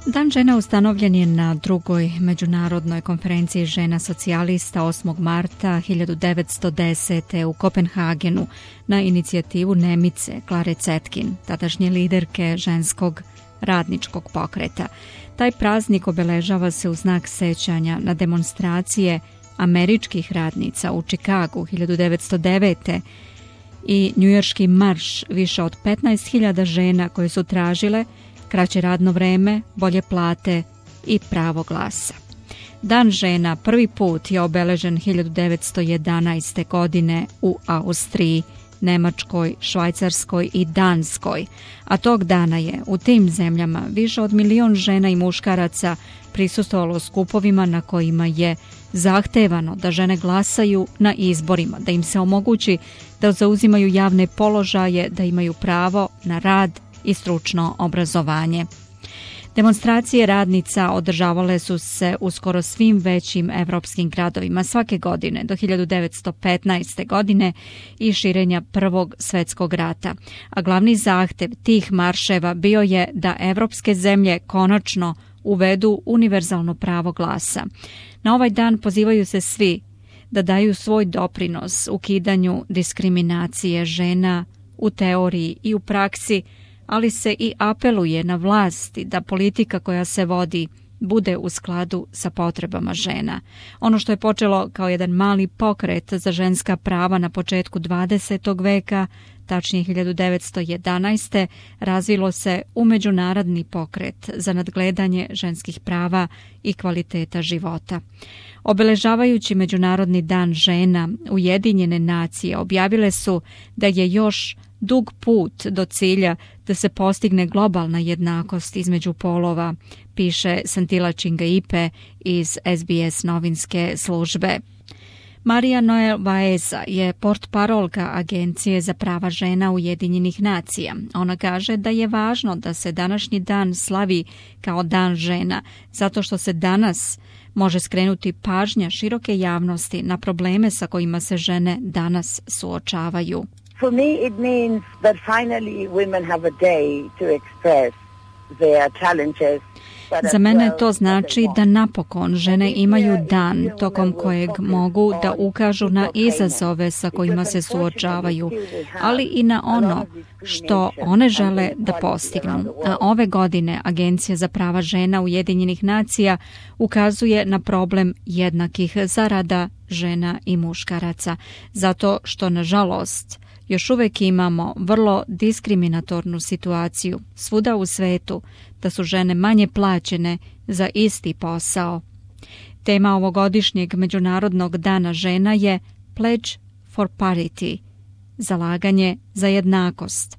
Dan žena ustanovljen je na drugoj međunarodnoj konferenciji žena socijalista 8. marta 1910. u Kopenhagenu na inicijativu Nemice Klare Zetkin, tadašnje liderke ženskog radničkog pokreta. Taj praznik obeležava se u znak sećanja na demonstracije američkih radnica u Čikagu 1909. i njujorški marš više od 15.000 žena koje su tražile kraće radno vreme, bolje plate i pravo glasa. Dan žena prvi put je obeležen 1911. godine u Austriji, Nemačkoj, Švajcarskoj i Danskoj, a tog dana je u tim zemljama više od 1 milion žena i muškaraca prisustvovalo skupovima na kojima je zahtevano da žene glasaju na izborima, da im se omogući da zauzimaju javne položaje, da imaju pravo na rad i stručno obrazovanje. Demonstracije radnica održavale su se u skoro svim većim evropskim gradovima svake godine do 1915. godine i širenja Prvog svjetskog rata. A glavni zahtev tih marševa bio je da evropske zemlje konačno uvedu univerzalno pravo glasa. Na ovaj dan pozivaju se svi da daju svoj doprinos ukidanju diskriminacije žena u teoriji i u praksi, ali se i apeluje na vlasti da politika koja se vodi bude u skladu sa potrebama žena. Ono što je počelo kao jedan mali pokret za ženska prava na početku 20. veka, tačnije 1911. razvilo se u međunarodni pokret za nadgledanje ženskih prava i kvaliteta života. Obeležavajući Međunarodni dan žena, Ujedinjene nacije objavile su da je još dug put do cilja da se postigne globalna jednakost između polova, piše Santila Chingaipe iz SBS novinske službe. Marija Noel Vaeza je portparolka Agencije za prava žena Ujedinjenih nacija. Ona kaže da je važno da se današnji dan slavi kao dan žena, zato što se danas može skrenuti pažnja široke javnosti na probleme sa kojima se žene danas suočavaju. For me, it means that finally women have a day to express their challenges. Za mene to znači da napokon žene imaju dan tokom kojeg mogu da ukažu na izazove sa kojima se suočavaju, ali i na ono što one žele da postignu. A ove godine Agencija za prava žena Ujedinjenih nacija ukazuje na problem jednakih zarada žena i muškaraca, zato što, nažalost, još uvijek imamo vrlo diskriminatornu situaciju svuda u svetu da su žene manje plaćene za isti posao. Tema ovogodišnjeg Međunarodnog dana žena je Pledge for Parity, zalaganje za jednakost.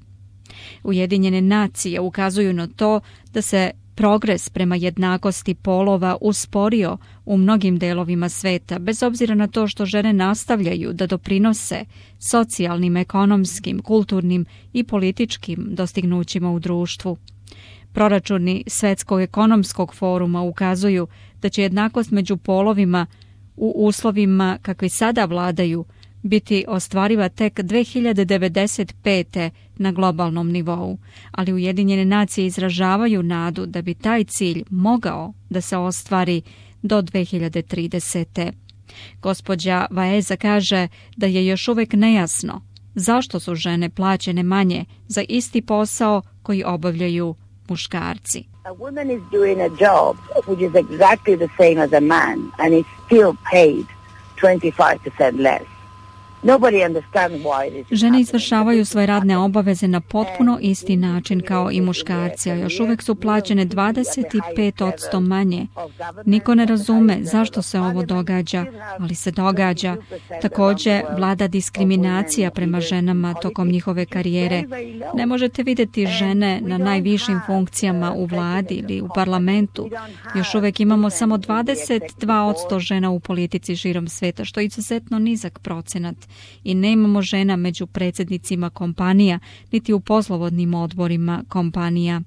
Ujedinjene nacije ukazuju na to da se progres prema jednakosti polova usporio u mnogim delovima sveta, bez obzira na to što žene nastavljaju da doprinose socijalnim, ekonomskim, kulturnim i političkim dostignućima u društvu. Proračuni Svjetskog ekonomskog foruma ukazuju da će jednakost među polovima u uslovima kakvi sada vladaju biti ostvariva tek 2095. na globalnom nivou, ali Ujedinjene nacije izražavaju nadu da bi taj cilj mogao da se ostvari do 2030. Gospođa Vaeza kaže da je još uvijek nejasno zašto su žene plaćene manje za isti posao koji obavljaju muškarci. A woman is doing a job which is exactly the same as a man and is still paid 25% less. Žene izvršavaju svoje radne obaveze na potpuno isti način kao i muškarci, a još uvijek su plaćene 25% manje. Niko ne razume zašto se ovo događa, ali se događa. Također vlada diskriminacija prema ženama tokom njihove karijere. Ne možete vidjeti žene na najvišim funkcijama u vladi ili u parlamentu. Još uvijek imamo samo 22% žena u politici širom sveta, što je izuzetno nizak procenat. I nemamo žena među predsjednicima kompanija, niti u poslovodnim odborima kompanija.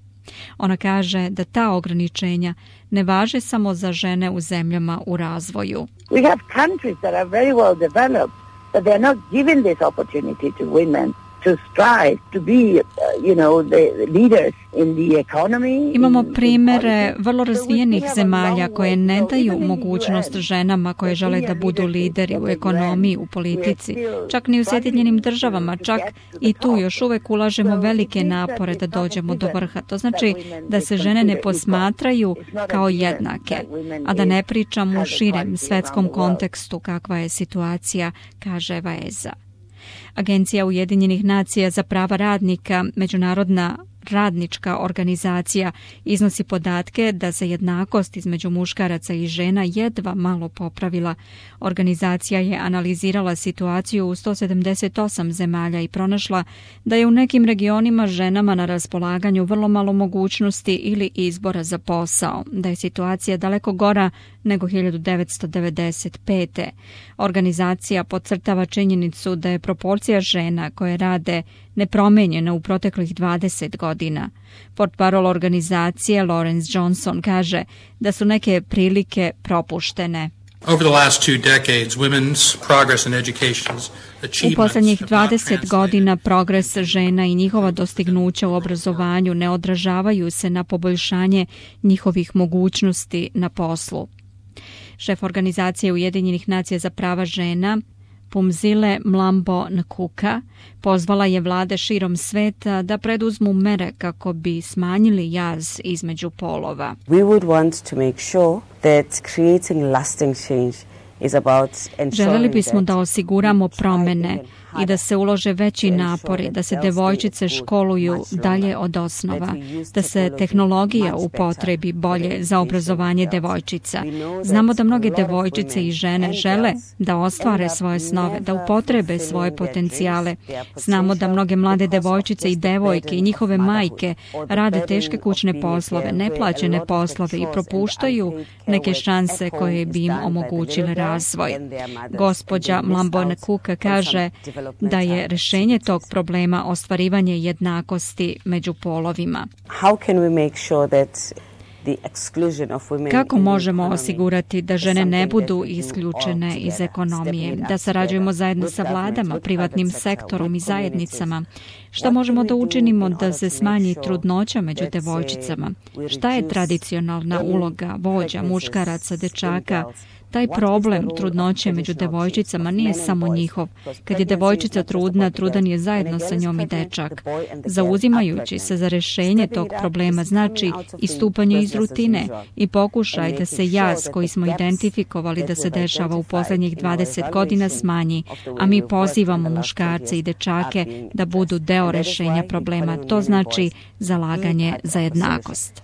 Ona kaže da ta ograničenja ne važe samo za žene u zemljama u razvoju. We have countries that are very well developed, but they are not giving this opportunity to women to strive to be, the leaders in the economy. Imamo primere vrlo razvijenih zemalja koje ne daju mogućnost ženama koje žele da budu lideri u ekonomiji, u politici, čak ni u Sjedinjenim državama, čak i tu još uvek ulažemo velike napore da dođemo do vrha. To znači da se žene ne posmatraju kao jednake, a da ne pričam u širem svetskom kontekstu kakva je situacija, kaže Vaeza. Agencija Ujedinjenih nacija za prava radnika, međunarodna radnička organizacija, iznosi podatke da se jednakost između muškaraca i žena jedva malo popravila. Organizacija je analizirala situaciju u 178 zemalja i pronašla da je u nekim regionima ženama na raspolaganju vrlo malo mogućnosti ili izbora za posao, da je situacija daleko gora nego 1995. Organizacija podcrtava činjenicu da je proporcija žena koje rade nepromenjena u proteklih 20 godina. Portparol organizacije Lawrence Johnson kaže da su neke prilike propuštene. U posljednjih 20 godina progres žena i njihova dostignuća u obrazovanju ne odražavaju se na poboljšanje njihovih mogućnosti na poslu. Šef organizacije Ujedinjenih nacija za prava žena Phumzile Mlambo Ngcuka pozvala je vlade širom sveta da preduzmu mere kako bi smanjili jaz između polova. We would want to make sure that creating lasting change is about Želeli bismo da osiguramo promene i da se ulože veći napori, da se devojčice školuju dalje od osnova, da se tehnologija upotrebi bolje za obrazovanje devojčica. Znamo da mnoge devojčice i žene žele da ostvare svoje snove, da upotrebe svoje potencijale. Znamo da mnoge mlade devojčice i devojke i njihove majke rade teške kućne poslove, neplaćene poslove i propuštaju neke šanse koje bi im omogućile razvoj. Gospođa Mlambo Ngcuka kaže da je rješenje tog problema ostvarivanje jednakosti među polovima. Kako možemo osigurati da žene ne budu isključene iz ekonomije, da sarađujemo zajedno sa vladama, privatnim sektorom i zajednicama? Šta možemo da učinimo da se smanji trudnoća među devojčicama? Šta je tradicionalna uloga vođa, muškaraca, dečaka? Taj problem trudnoće među devojčicama nije samo njihov. Kad je devojčica trudna, trudan je zajedno sa njom i dečak. Zauzimajući se za rješenje tog problema znači istupanje iz rutine i pokušaj da se jaz koji smo identifikovali da se dešava u posljednjih 20 godina smanji, a mi pozivamo muškarce i dečake da budu deo rješenja problema. To znači zalaganje za jednakost.